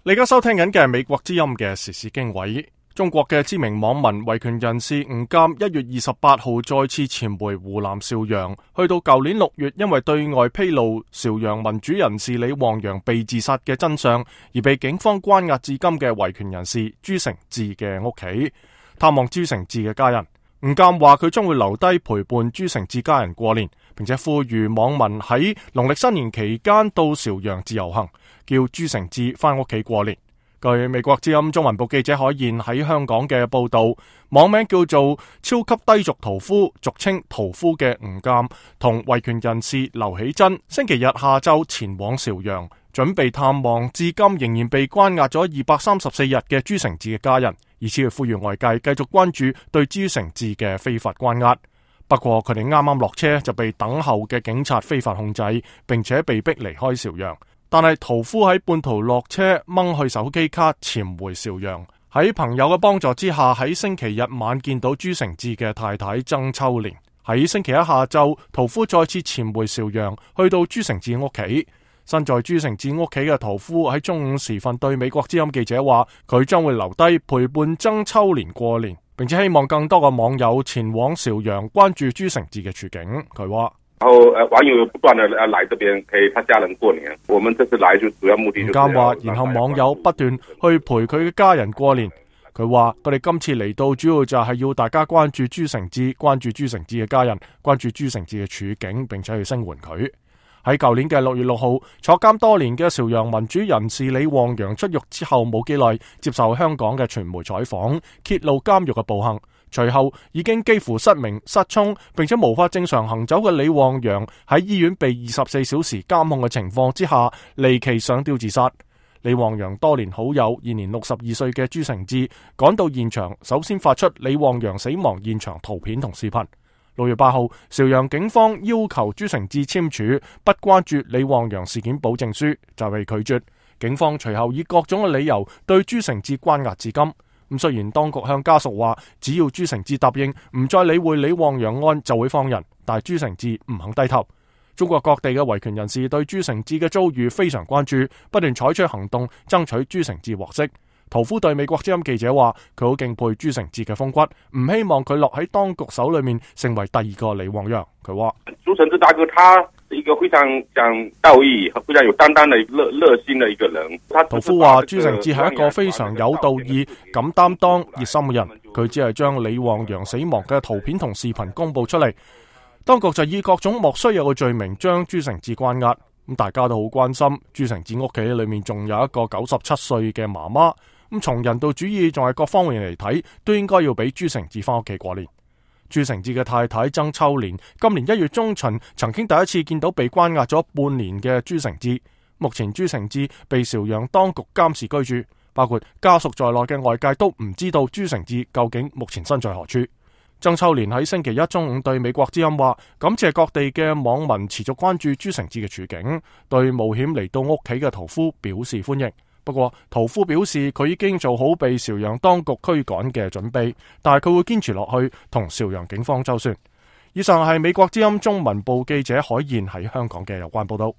你而家收聽緊嘅係美國之音嘅時事經緯。中國嘅知名網民維權人士吳鑑1月28號再次潛回湖南邵陽，去到舊年6月因為對外披露邵陽民主人士李旺陽被自殺嘅真相而被警方關押至今嘅維權人士朱成志嘅屋企，探望朱成志嘅家人。吳鑑話佢將會留低陪伴朱成志家人過年，並且呼籲網民喺農曆新年期間到邵陽自由行，叫朱成志返屋企過年。據美國之音中文部記者海燕喺香港嘅報道，網名叫做超級低俗屠夫，俗稱屠夫嘅吳鑑同維權人士劉喜珍星期日下晝前往邵陽，準備探望至今仍然被關押咗234日嘅朱成志嘅家人，以此去呼籲外界繼續關注對朱成志嘅非法關押。不過佢哋啱啱落車就被等候嘅警察非法控制，並且被逼離開邵陽。但係屠夫喺半途落車掹去手機卡潛回邵陽，喺朋友嘅幫助之下，喺星期日晚見到朱成志嘅太太曾秋蓮。喺星期一下晝，屠夫再次潛回邵陽，去到朱成志屋企。身在朱成志屋企嘅屠夫喺中午時分對美國之音記者話，佢將會留低陪伴曾秋蓮過年，並且希望更多嘅網友前往邵陽關注朱成志嘅處境。佢話。然後網友不斷地來這邊陪他家人過年，我們這次來就主要目的就是。吳鑑話，然後網友不斷去陪佢嘅家人過年。佢話：佢哋今次嚟到主要就係要大家關注朱成志，關注朱成志嘅家人，關注朱成志嘅處境，並且去聲援佢。喺舊年嘅6月6號，坐監多年嘅邵陽民主人士李旺陽出獄之後冇幾耐，接受香港嘅傳媒採訪，揭露監獄嘅暴行。隨後已經幾乎失明失聰，並且無法正常行走嘅李旺陽喺醫院被24小時監控嘅情況之下，離奇上吊自殺。李旺陽多年好友，現年62歲嘅朱成志趕到現場，首先發出李旺陽死亡現場圖片同視頻。6月8號，邵陽警方要求朱成志簽署不關注李旺陽事件保證書，就被拒絕。警方隨後以各種嘅理由對朱成志關押至今。雖然當局向家屬話，只要朱成志答應唔再理會李旺陽案就會放人，但朱成志唔肯低頭。中國各地嘅維權人士對朱成志嘅遭遇非常關注，不斷採取行動爭取朱成志獲釋。屠夫對美國之音記者話，佢好敬佩朱成志嘅風骨，唔希望佢落喺當局手裏面成為第二個李旺陽。佢話：朱成志大哥，他是一個非常講道義、非常有擔當的熱心的一個人。屠夫話，朱成志係一個非常有道義、敢擔當、熱心嘅人。佢只係將李旺陽死亡嘅圖片同視頻公布出嚟，當局就以各種莫須有嘅罪名將朱成志關押。咁大家都好關心朱成志屋企裏面仲有一個97歲嘅媽媽。咁從人道主義仲係各方面嚟睇，都應該要俾朱成志翻屋企過年。朱成志嘅太太曾秋蓮今年1月中旬曾經第一次見到被關押咗半年嘅朱成志。目前朱成志被邵陽當局監視居住，包括家屬在內嘅外界都唔知道朱成志究竟目前身在何處。曾秋蓮喺星期一中午對美國之音話，感謝各地嘅網民持續關注朱成志嘅處境，對冒險嚟到屋企嘅屠夫表示歡迎。不過屠夫表示佢已經做好被邵陽當局驅趕嘅準備，但係佢會堅持落去同邵陽警方周旋。以上係美國之音中文部記者海燕喺香港嘅有關報道。